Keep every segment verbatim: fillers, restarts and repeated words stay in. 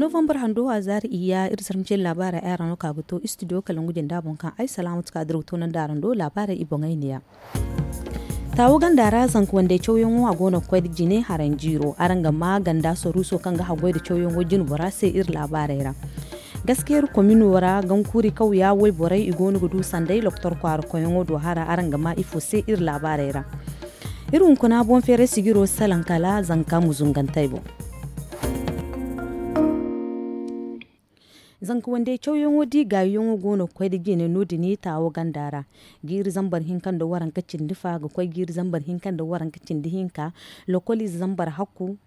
Novembar hando a zaari iyya iri zarma cine laabaarey ay araŋ no ka ga to istidiyo kalangu jinda boŋ kaŋ ay salaamatu ka diraw toonandi araŋ do laabaarey i boŋey neeya. Taawo ganda ra zanka wandey cawyaŋo a go no ga koy nda jine haraŋ jiiro araŋ ga ma ganda saruuso kaŋ ga haggoy nda cawyaŋo jine bora se iri laabaarey ra. Gaskiyar komino ra gankuuri kawya wayborey i go no ga du sanday loktor kwaara koyyaŋo do hara araŋ ga ma ifo se iri laabaarey ra. Iri hunkuna boŋ feeray sijiro salaŋ kala zanka muzungantey boŋ. Zanka wandey cawyaŋo da i gaayuyaŋo go no ga koy nda jine no- din taawo ganda ra. Jiiri zambar hinka nda waranka cindi fa ga koy jiiri zambar hinka nda waranka cindi hinka. Lokoliize zambar hakku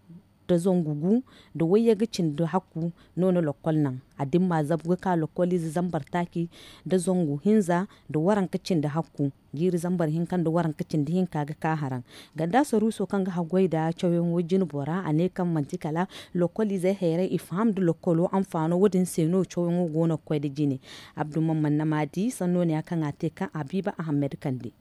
nda zangu gu nda wayyaŋ ga cindi hakku no na lokkol naŋ. A dimma zabu ga ka lokkoliize zambar taaci nda zangu hinza nda waranka cindi hakku. Jiiri zambar hinka nda waranka cindi hinka ga ka haraŋ. Ganda saruuso kaŋ ga haggoy nda cawyaŋo jine bora a ne kaŋ manti kala lokkoliizey hayray i faham nda lokkolo anfaano wo- din se no cawyaŋo go no ga koy nda jine. Abdu mamman na ma di sanno ne ya kaŋ a te kaŋ a biiba ahammed kande.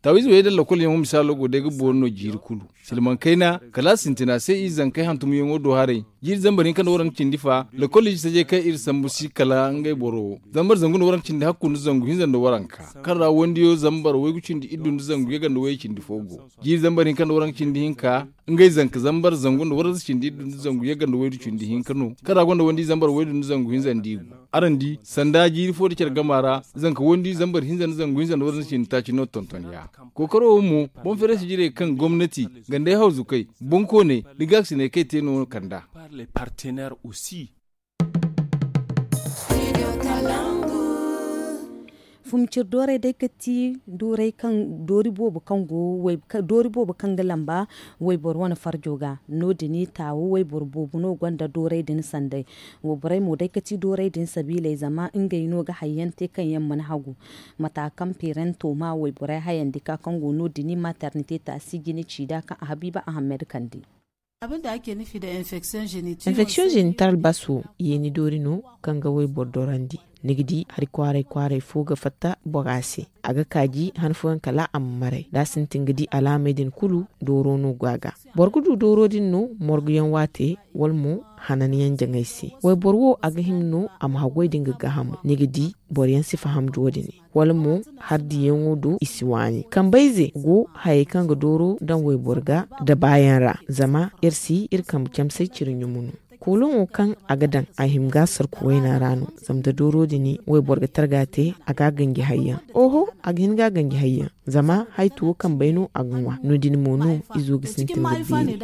Taawiize wayey daŋ lokol yaŋo misaalo go day ga boori no jiiri kulu. Silmaŋ kayna kala a sintina se i zankey hantumyaŋo do haray. Jiiri zambar hinka nda waranka cindi fa lokol iji tajey kaŋ iri sambu si kala ngey boro wo zambar zangu nda waranka cindi hakku nda zangu hinza nda waranka, kaŋ ra wandiyo zambar waygu cindi iddu nda zangu yaga nda wayey cindi fo go. Jiiri zambar hinka nda waranka cindi hinka ngey zanka zambar zangu nda waranka cindi iddu nda zangu yaga nda waydu cindi hinka no, kaŋ ra gonda wandi zambar waydu nda zangu hinza nda igu. Araŋ di sanda jiiri fo da care gama ra zanka wandi zambar hinza nda zangu hinza nda waranka cindi taaci no tonton ya. Kookaro wo mo boŋ feeray sijirey kaŋ gomnati gandey hawzukey boŋkooney da gaakasiney kaŋ i te no kand'a. Fumcir doorey day ga ti doori boobo kaŋ go doori boobo kaŋ ga lamba wayboro wane farjo ga. No- din taawo wayboro boobo no gonda doorey din sanday. Wayborey mo day ga ti doorey din sabiiley zama ngey no ga hayyaŋ te kaŋ yaŋ mana hagu. Mata kaŋ peerento ma wayborey hayandi ka kaŋ go no- din maternite taasi jine ciida kaŋ a habiiba ahammed kande. Enfection génitale bas wo yeeni doori no kaŋ ga wayboro dorandi. Ni ga di hari kwaaray kwaaray fo ga fatta bora se. A ga kaaji han fooyaŋ kala a ma maray da a sintin ga di alaamey din kulu dooro no go a ga. Boro ga du dooro din no morguyaŋ waate wala mo hananyaŋ jaŋay se. Wayboro wo a ga hima no a ma haggoy da nga gaahamo ni ga di boroyaŋ si faham da wo- din. Wala mo hardiyaŋo do i si waani kambayze go hayey kaŋ ga dooro daŋ wayboro ga da baayaŋ ra. Zama iri si iri kambe camsay ciri ɲumu no. Kooloŋo kaŋ a ga daŋ a hima ga sarku wayna ra no. Zama da dooro din wayboro ga targa te a ga ganji hayyaŋ. Oho, a ga hin ga ganji hayyaŋ. Zama haytu wo kambey no a ga ŋwa no- din mo no izo ga sintin ga beeri.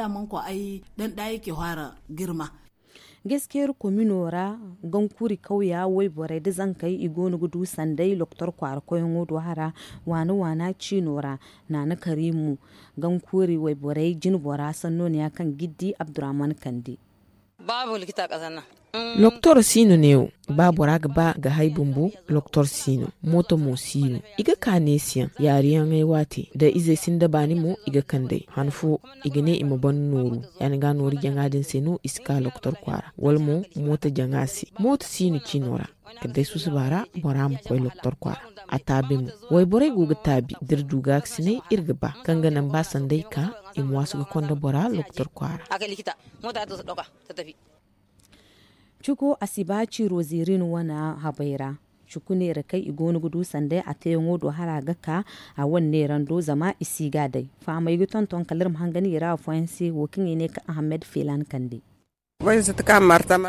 Gaskiyar komino ra gankuri kawya wayborey da zankey i go no ga du sanday loktor kwaara koyyaŋo do hara waana waana ciino ra. Naana karimu gankuri wayborey jinbora sanno ne ya kaŋ giddi abdurrahman kande. Loktor si no neewo. Ba bora ga ba ga hay bumbo loktor si no. Mooto mo si no. I ga ka neesiyaŋ yaariyaŋey waate da izey sinda baani mo i ga kand'ey han fo i ga ne i ma ban nooru. Ya- din ga nooru jaŋa din se no i si ka loktor kwaara wala mo mooto jaŋa se. Mooto si no ciino ra kala day susuba ra bora ma koy loktor kwaara. A taabi mo. Wayborey go ga taabi da iri du gaakasiney iri ga ba kaŋ ga naŋ ba sanday ka i ma waasu ga konda bora loktor kwaara. Cuko a si ba ciiro ziirin wane habay ra. Cuku neera kaŋ i go no ga du sanday a teeyaŋo do hara ga ka a wane neerando zama i si ga a day. Fahamey ga tonton kala iri ma hangan i ra afooyaŋ se wo kaŋ i ne ka ahammed feelan kande.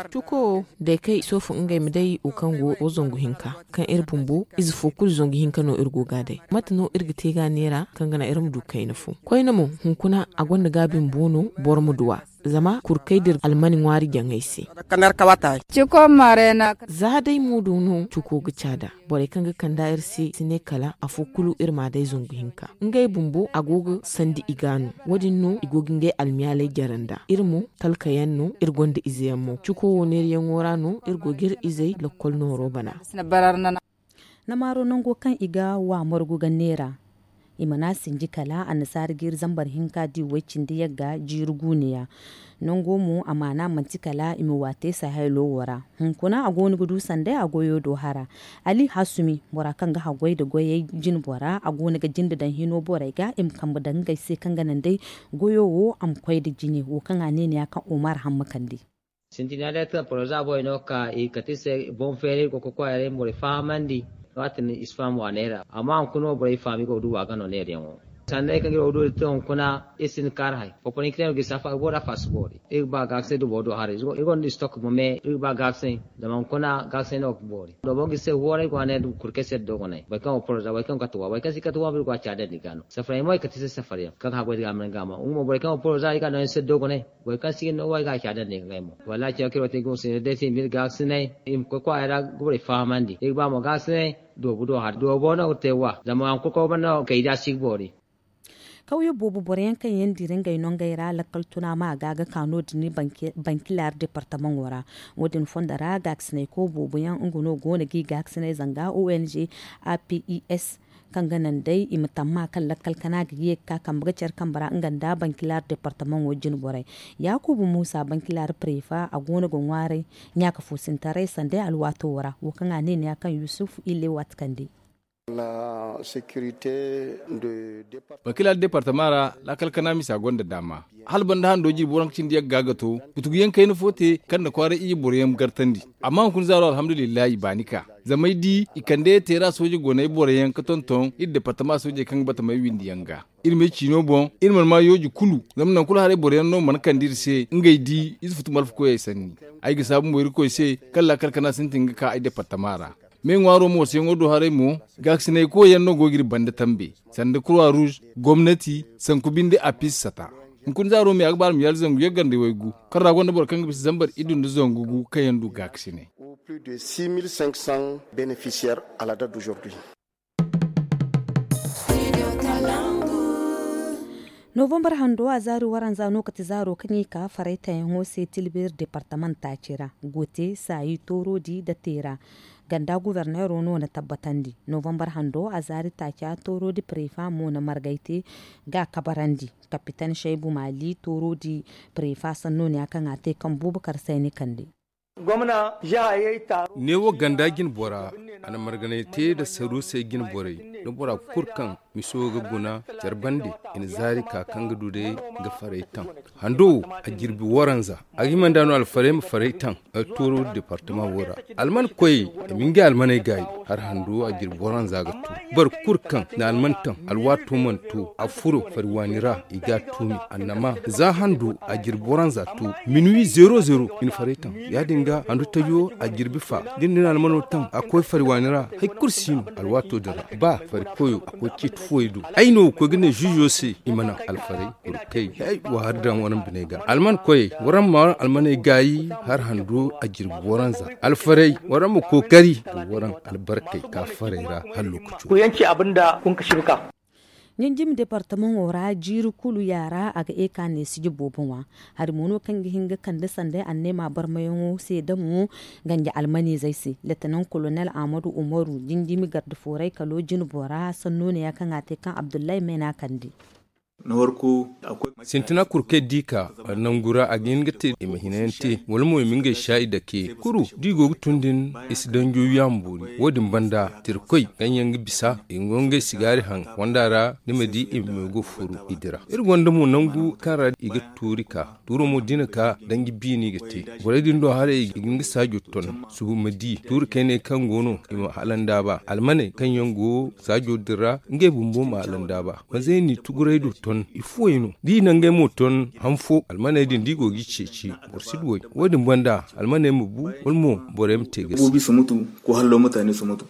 Cuko wo day kaŋ i soofu ngey ma day wo kaŋ go wo zangu hinka kaŋ iri bumbo ize fo kulu zangu hinka no iri go ga a day. Mate no iri ga te ga a neera kaŋ ga naŋ iri ma du kayna fo koyne mo hunkuna a gonda gaabi bumbo no boro ma du a. Zama kurkey da iri almani ŋwaari jaŋey se. Za day mo do no cuko ga caada. Borey kaŋ ga kand'a iri se si ne kala afo kulu iri m'a day zangu hinka. Ngey bumbo a go ga sandi i ga no. Wo- din no i go ga ngey almiyaaley jare nd'a iri mo talkayaŋ no iri gonda izeyaŋ mo cuko wo neerayaŋo ra no iri go ga iri izey lokkol nooro bana. Namaaro nango kaŋ i ga wa margu ga neera. I mana sinji kala annasaara jiiri zambar hinka di way cindi yagga jiiri guuniya. Nango mo amaana manti kala i ma waate sahaylo wo ra. Hunkuna a go no ga du sanday a goyo do hara. Ali hasumi bora kaŋ ga haggoy nda goyey jine bora a go no ga jinde daŋ hino borey ga i ma kambe daŋ ngey se kaŋ ga naŋ day goyo wo a ma koy nda jine wo kaŋ a ne ni ya kaŋ omar hamma kande. Sintina day kaŋ poroza borey no ga ka i kate i se boŋ feeri iri go ga koy kwaaray iri ma borey fahamandi. Waati din i si faham waaney ra amma hunkuna wo borey faham i go ga du waaga no neera yaŋo. Sanday kaŋ iri wo du iri te hunkuna iri sinda kaari hay. Poporin kite no ga i safa iri go da faasi boori iri ga ba gaakasinay dubo do haray iri gonda istok mo me iri ga ba gaakasinay. Zama hunkuna gaakasinay no ga boori dobo ga i se wooray go a ne kurkey se dogonay boro kaŋ go poroza boro kaŋ ga kate wa boro kaŋ si kate wa mo iri go a caadandi ga no safaray mo i kate i se safaryaŋ kaŋ ga haggoy da ga a ma naŋ ga a ma nga mo borey kaŋ go poroza iri ga a daŋ i se dogonay. Boro kaŋ si ga ni no wa ay ga a caadandi ga ngey mo wallaahi cawkir wo te gumo se ni day se i ma iri gaakasinay. I ma koy kwaara ra ga borey fahamandi iri ga ba mo gaakasinay. Doobu do hari doobo no ga te wa zama waŋ koy koy banda no kay da si ga boori. Kawyo boobo boro yaŋ kaŋ yaŋ dira ngey no ngey ra lakkal tuna ma ga ga ka no- din bankilaari departamaŋo ra. Wo- din fondo ra gaakasinay koy boobo yaŋ nga no go no ga i gaakasinay zanga o n g a p i s kaŋ ga naŋ day i ma tamma kaŋ lakkal kana ga ye ga ka kambe ga care kambe ra nga nda bankilaari departamaŋo jine borey. Yaakuba muusa bankilaari pareefa a go no ga ŋwaaray ɲaaka fo sintaray sanday alwaato wo ra wo kaŋ a ne ni ya kaŋ yusufu ille waati kande. Bankilaari departama ra laakal kana misa gonda daama hala banda hando jirbi waranka cindi yagga ga to. Kutugu yaŋ kayna fo te kaŋ na kwaaray iyye boro yaŋ gartandi. Amma hunkuna zaaro alhamdulillahi baani ka zama ay di i kande teera sooje go no ay boro yaŋ ga tonton iri departama soojey kaŋ ga bata may windi yaŋ ga. Iri m'ay ciino boŋ iri mana ma yooji kulu. Zama nangu kulu haray boro yaŋ no mana kande iri se ngey di ize futu malfa koyey sanni. Ay ga saabu mo irkoy se kaŋ laakal kana sintin ga ka ay departama ra. Me ŋwaaro moosoyaŋo do haray mo gaakasinay koy yaŋ no go ga iri banda tambe sanda kurwa ruuz gomnati sanku binde a piisi sata. Hunkuna zaaro me a ga ba alma yaali zangu yagga nda waygu kaŋ ra gonda boro kaŋ ga bisa zambar iddu nda zangu gu kaŋ yaŋ du gaakasinay. Novambar hando a zaari waranza no kate zaaro kaŋ i ka faray tayaŋo se tilbir departament taaci ra. Gote saayi toorodi nda teera ganda guberneero no na tabbatandi. Novambar hando a zaari taaca toorodi pareefa mo na margay te ga a kabarandi. Kapitan shaybu maali toorodi pareefa sanno ne ya kaŋ a te kaŋ buubakar sayni kande. Neewo ganda jine bora a na marganay te nda saruusey jine borey nda bora kulu kaŋ miso ga guna care bande i na zaari ka kaŋ ga du day ga faray taŋ. Hando wo a jirbi waranza a ga hima nda no alfaray ma faray taŋ. Tooro departama wo ra alman koyey i ma ngey almaney gaayi. Har hando a jirbi waranza ga to boro kulu kaŋ na alman taŋ alwaato mana to a furo fari waani ra i ga a tuumi annama za hando a jirbi waranza to minuwi zero zero i na faray taŋ. Ya- din ga handu tajo a jirbi fa da ni na almano taŋ a koy fari waani ra. Hari kulu si no alwaato din ra ba fari koyo a koy ciiti fooyaŋ do. Ay no ga koy ga ne zuuzo se i ma naŋ alfaray kulu kay hay wa hari daŋ waranza biney ga alman koyey waranza ma waranza almaney gaayi. Har hando a jirbi waranza alfaray waranza ma kookari ga waranza albarkey ka faray ra hala lookaco. Ɲinjimi departamaŋo ra jiiri kulu yaara a ga eka neesiji boobo ŋwa. Hari mo no kaŋ ga hin ga kande sanday anneema barmayaŋo se damo ganja almanizey se letenaŋ kolonel ahmadu umaru jinjimi garde fooray kalo jine bora sanno ne ya kaŋ a te kaŋ abdullahi meena kande. Sintina kurkey di ka nangu ra a ga hin ga te i ma hina yaŋ te wala mo i ma ngey saayi dake kuru da i go ga tun din i si danjo yaŋ boori. Wo- din banda tirkoy kaŋ yaŋ ga bisa i go ngey sigaari haŋ fonda ra ni ma di i ma go furu i dira. Iri gonda mo nangu kaŋ ra i ga tuuri ka tuuro mo da i na ka danji biya no i ga te. Borey din do haray i ga nga saajo ton subu ma di tuuri kayney kaŋ go no i ma halandaaba almaney kaŋ yaŋ go saajo din ra ngey bumbo ma halandaaba. Manzey ni tuguray do ton i fuwey no da i na ngey mo ton han fo almaney din da i go ga i ceeci boro si duw'ey. Wo- din banda almaney ma bu wala mo borey ma te gasi. Boobi si mutu ko hallo mutane si mutu.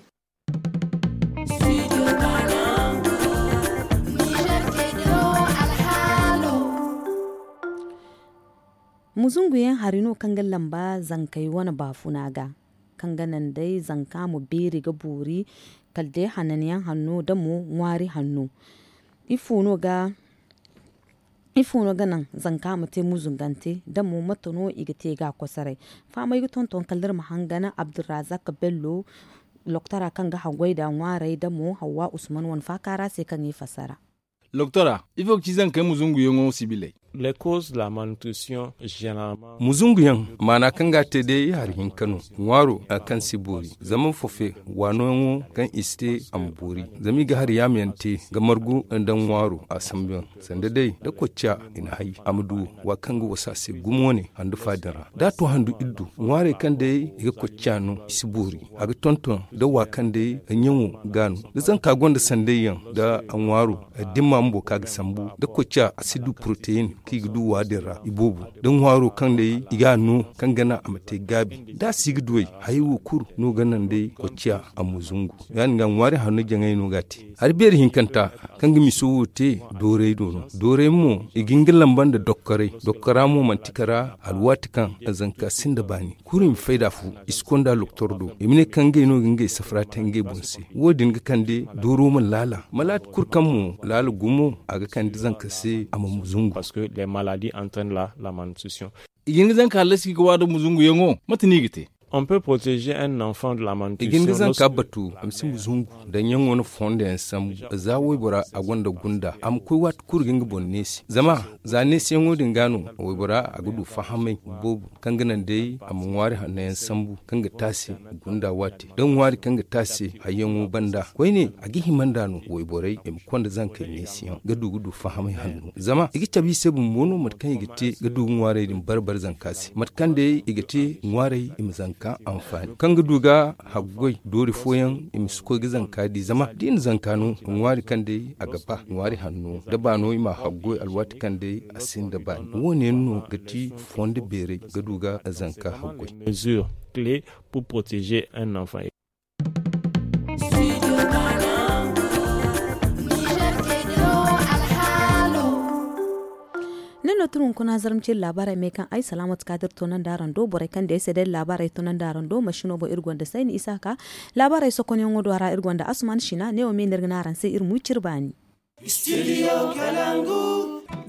Muzunguyaŋ hari no kaŋ ga lamba zankey wane baafuna ga kaŋ ga naŋ day zanka ma beeri ga boori kala day hananyaŋ hanno da mo ŋwaari hanno. Ifo no ga naŋ zanka ma te muzungante da mo mate no i ga te ga a kosoray? Fahamay ga tonton kala iri ma hangan abdurrazak bello. Loktora kaŋ ga haggoy nda ŋwaarey da mo hawwa usman wane faaka ra se kaŋ i fassara. Loktora, ifo ga ci zankey muzunguyaŋo sibiley? Muzunguyaŋ maana kaŋ ga a te day hari hinka no. Ŋwaaro hari kaŋ si boori zama fofe waanoyaŋo kaŋ i si te a ma boori. Zama i ga hari yaama yaŋ te ga margu nda ŋwaaro a sambu yaŋ sanda day da kocciya i na hay a ma du wa kaŋ ga wasa se gumo ne handu fa din ra da a to handu iddu ŋwaarey kaŋ day i ga kocciya no i si boori. A ga tonton da wa kaŋ day ga ɲaŋo ga no da zanka gonda sanday yaŋ da a ŋwaaro dimma bumbo kaŋ a ga sambu da kocciya a si du poroteyin kaŋ i ga du wa din ra i boobo da ŋwaaro kaŋ day i ga a no kaŋ ga naŋ a ma te gaabi da a si ga duwey hayey wo kulu no ga naŋ day kocciya a ma zungu. Ya- din ga ŋwaari hanno jaŋay no ga a te hari beeri hinkanta kaŋ ga miso wo te dooray do no. Dooray mo i ga nga lamba nda dokkoray dokkora mo manti kara alwaati kaŋ zanka sinda baani kulu i ma fayda fu i si konda loktor do i ma ne kaŋ ngey no ga ngey safara te ngey boŋ se. Wo- din ga kande dooro ma laala malaati kulu kaŋ mo laala gumo a ga kande zanka se a ma ma zungu. I ga hin ga zanka hallasi ga waada muzunguyaŋo mate no i ga te? I ga hin ga zanka batu a ma si muzungu daŋ yaŋo na fondo yaŋ sambu za waybora a gonda gunda a ma koy waati kulu ga nga boŋ neesi zama za neesiyaŋo din ga no waybora a ga du fahamay boobo kaŋ ga naŋ day a ma ŋwaari hanno yaŋ sambu kaŋ ga taasi gunda waati da ŋwaari kaŋ ga taasi hayyaŋo banda koyne a ga hima nd'a no wayborey i ma konda zankey neesiyaŋ ga du ga du fahamay hanno zama i ga cabe i se bumbo no mate kaŋ i ga te ga du ga ŋwaarey din barbari zanka se mate kaŋ day i ga te ŋwaarey i ma zanka anfaani kaŋ ga du ga haggoy doori fooyaŋ i ma si koy ga zanka di zama da i na zanka no ŋwaari kaŋ day a ga ba ŋwaari hanno da baano i ma haggoy alwaati kaŋ day a sinda baani wo- ne yaŋ no ga ti fondo beeray ga du ga zanka haggoy. Ni no tun hunkuna zarma ciri laabaarey me kaŋ ay salaamatu ka da iri toonandi araŋ do borey kaŋ day se day laabaarey toonandi araŋ do masino boŋ iri gonda sayni isa ka laabaarey sokonyaŋo do a ra iri gonda asuman sina ne wo me no iri ga ne araŋ se iri ma wi ciri baani.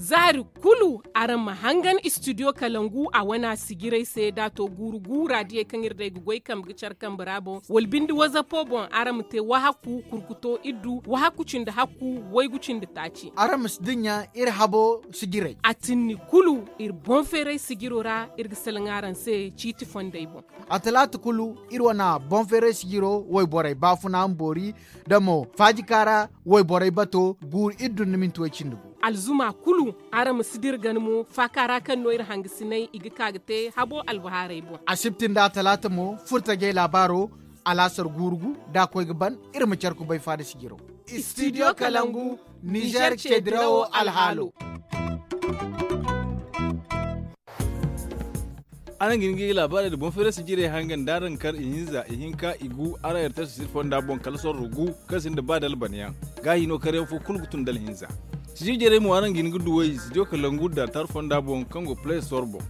Zaari kulu araŋ ma hangan istidiyo kalangu a wana sijirey se da a to guuru guura diyey kaŋ iri day ga goy kambe ga care kambe ra boŋ wala binde wazapo boŋ araŋ ma te wahakku kurkuto iddu wahakku cindi hakku waygu cindi taaci. Araŋ ma si dinya iri habo sijirey a tinni kulu iri boŋ feeray sijiro ra iri ga salaŋ araŋ se ciiti fondey boŋ. A talaata kulu iri wane boŋ feeray sijiro wayborey baafuna ma boori da mo faajikaara wayborey bato guuru iddu nda minti way cindi gu. Alzuma kulu araŋ ma si dira gana mo faaka ra kaŋ no iri hangasinay i ga ka ga te habo albahaarey boŋ. Asibti nda atalaata mo furtajey laabaaro alaasar guuru gu da a koy ga ban iri ma care kubay faada sijiro. Istidiyo kalangu nizer ceedirawo alhaalo. Araŋ ga hin ga i laabaarey nda boŋ feeray sijirey hangan da araŋ kar ihinza ihinka igu araŋ yartay sisiri fonda boŋ kala sorro gu kaŋ sinda ba da albanyaŋ. Gaahi no karyaŋ fo kulu ga tun da alhinza. Sijiri jarey mo araŋ ga hin ga duw'ey sijiri kalangu da tar fonda boŋ kaŋ go play store boŋ.